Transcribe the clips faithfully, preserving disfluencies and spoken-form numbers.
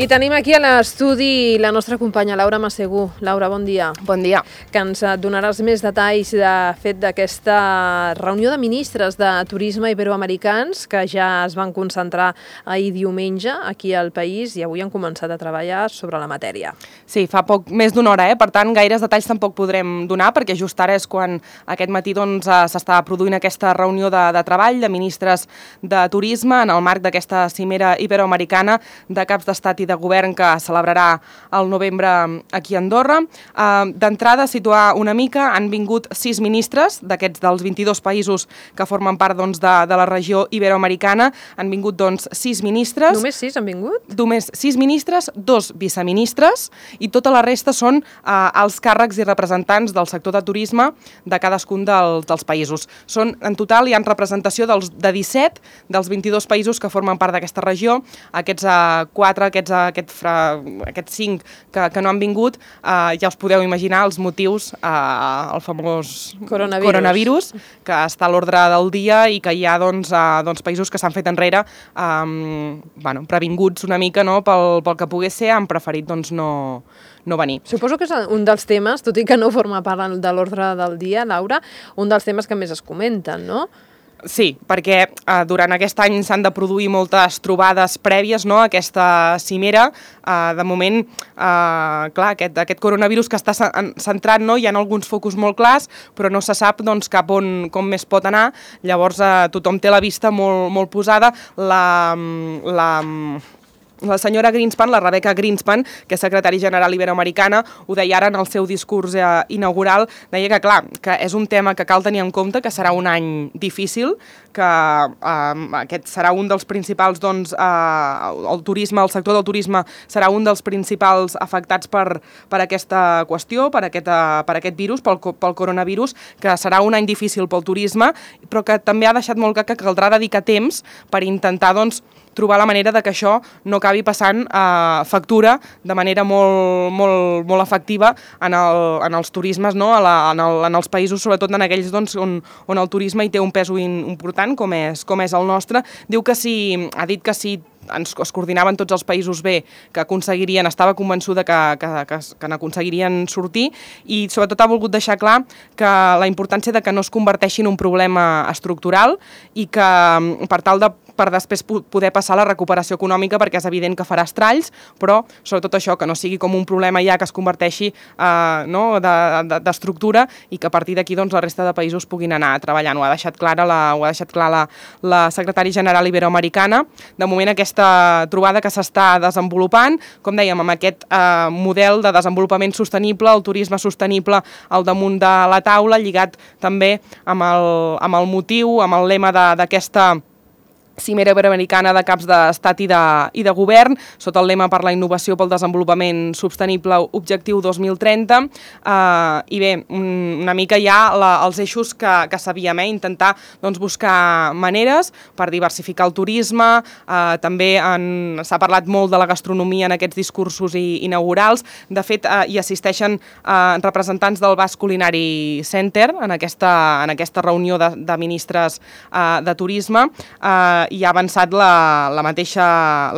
I tenim aquí a l'estudi la nostra companya Laura Massegú. Laura, bon dia. Bon dia. Que ens donaràs més detalls de fet d'aquesta reunió de ministres de turisme iberoamericans que ja es van concentrar ahir diumenge aquí al país i avui han començat a treballar sobre la matèria. Sí, fa poc més d'una hora, eh? Per tant, gaires detalls tampoc podrem donar perquè just ara és quan aquest matí doncs, s'està produint aquesta reunió de, de treball de ministres de turisme en el marc d'aquesta cimera iberoamericana de caps d'estat i de govern que celebrarà el novembre aquí a Andorra. Uh, D'entrada, situar una mica, han vingut sis ministres d'aquests dels vint-i-dos països que formen part doncs, de, de la regió iberoamericana. Han vingut doncs, sis ministres. Només sis han vingut? Només sis ministres, dos viceministres i tota la resta són uh, els càrrecs i representants del sector de turisme de cadascun dels, dels països. Són, en total, hi ha representació dels, de disset dels vint-i-dos països que formen part d'aquesta regió. Aquests uh, quatre, aquests, uh, aquest fra, aquests cinc que, que no han vingut, uh, ja us podeu imaginar els motius, uh, el famós coronavirus, coronavirus que està a l'ordre del dia i que hi ha doncs, uh, doncs, països que s'han fet enrere um, bueno, previnguts una mica no, pel, pel que pogués ser, han preferit doncs, no, no venir. Suposo que és un dels temes, tot i que no forma part de l'ordre del dia, Laura, un dels temes que més es comenten, no? Sí, perquè eh, durant aquest any s'han de produir moltes trobades prèvies no, a aquesta cimera. Eh, de moment, eh, clar, aquest, aquest coronavirus que està centrat, no, hi ha alguns focus molt clars, però no se sap doncs, cap on com més pot anar. Llavors, eh, tothom té la vista molt, molt posada. La... la La senyora Greenspan, la Rebecca Greenspan, que és secretari general iberoamericana, ho deia ara en el seu discurs eh, inaugural, deia que, clar, que és un tema que cal tenir en compte, que serà un any difícil, que eh, aquest serà un dels principals, doncs, eh, el turisme, el sector del turisme serà un dels principals afectats per, per aquesta qüestió, per aquest, eh, per aquest virus, pel, pel coronavirus, que serà un any difícil pel turisme, però que també ha deixat molt clar que caldrà dedicar temps per intentar, doncs, trobar la manera de que això no acabi passant eh, factura de manera molt, molt, molt efectiva en, el, en els turismes, no? a la, en, el, en els països, sobretot en aquells doncs, on, on el turisme hi té un pes important, com és, com és el nostre. Diu que si, ha dit que si ens es coordinaven tots els països bé, que aconseguirien, estava convençuda que, que, que, que n'aconseguirien sortir i sobretot ha volgut deixar clar que la importància de que no es converteixi en un problema estructural i que per tal de per després poder passar a la recuperació econòmica perquè és evident que farà estralls, però sobretot això, que no sigui com un problema ja que es converteixi eh, no, d'estructura de, de, i que a partir d'aquí doncs, la resta de països puguin anar treballant. Ho ha deixat clara la, ho ha deixat clar la, la secretària general iberoamericana. De moment aquesta trobada que s'està desenvolupant, com dèiem, amb aquest eh, model de desenvolupament sostenible, el turisme sostenible al damunt de la taula, lligat també amb el, amb el motiu, amb el lema d'aquesta cimera iberoamericana de caps d'estat i, de, i de govern, sota el lema per la innovació pel desenvolupament sostenible objectiu dos mil trenta. Uh, I bé, una mica ja la, els eixos que, que sabíem, eh? intentar doncs, buscar maneres per diversificar el turisme, uh, també s'ha parlat molt de la gastronomia en aquests discursos i, inaugurals. De fet, uh, hi assisteixen uh, representants del Basque Culinary Center en aquesta, en aquesta reunió de, de ministres uh, de turisme. Uh, i ha avançat la, la, mateixa,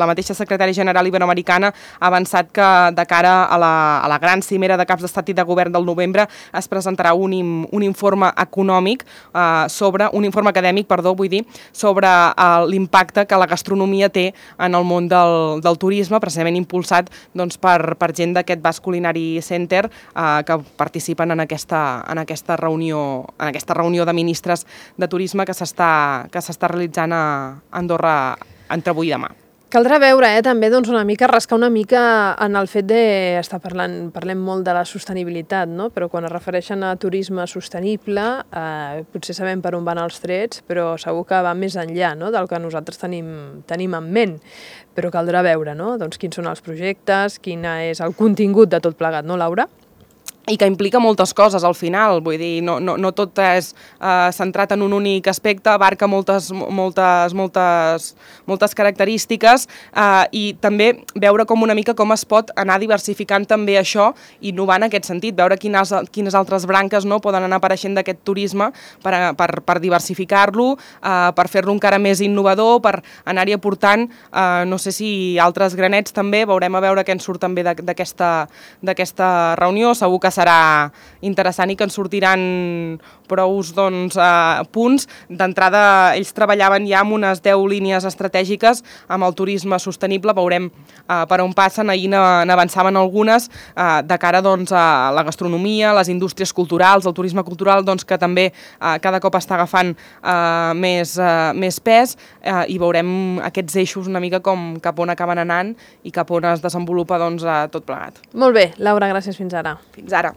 la mateixa secretària general iberoamericana ha avançat que de cara a la, a la gran cimera de caps d'estat i de govern del novembre es presentarà un, un informe econòmic eh, sobre, un informe acadèmic, perdó, vull dir, sobre eh, l'impacte que la gastronomia té en el món del, del turisme, precisament impulsat doncs, per, per gent d'aquest Basque Culinary Center eh, que participen en aquesta, en aquesta reunió, en aquesta reunió de ministres de turisme que s'està que s'està realitzant a Andorra entre avui i demà. Caldrà veure, eh, també, doncs, una mica, rascar una mica en el fet de... Està parlant, parlem molt de la sostenibilitat, no? Però quan es refereixen a turisme sostenible, eh, potser sabem per on van els trets, però segur que va més enllà, no?, del que nosaltres tenim, tenim en ment. Però caldrà veure, no?, doncs, quins són els projectes, quin és el contingut de tot plegat, no, Laura? i que implica moltes coses al final, vull dir, no, no, no tot és eh, centrat en un únic aspecte, abarca moltes, moltes, moltes, moltes característiques eh, i també veure com una mica com es pot anar diversificant també això, innovant en aquest sentit, veure quines, quines altres branques no, poden anar apareixent d'aquest turisme per, per, per diversificar-lo, eh, per fer-lo encara més innovador, per anar-hi aportant, eh, no sé si altres granets també, veurem a veure què en surt també d'aquesta reunió, segur que serà interessant i que ens sortiran prous doncs, eh, punts. D'entrada, ells treballaven ja amb unes deu línies estratègiques amb el turisme sostenible, veurem eh, per on passen, ahir n'avançaven algunes eh, de cara doncs, a la gastronomia, les indústries culturals, el turisme cultural doncs, que també eh, cada cop està agafant eh, més, eh, més pes eh, i veurem aquests eixos una mica com cap on acaben anant i cap on es desenvolupa doncs, tot plegat. Molt bé, Laura, gràcies fins ara. Fins ara.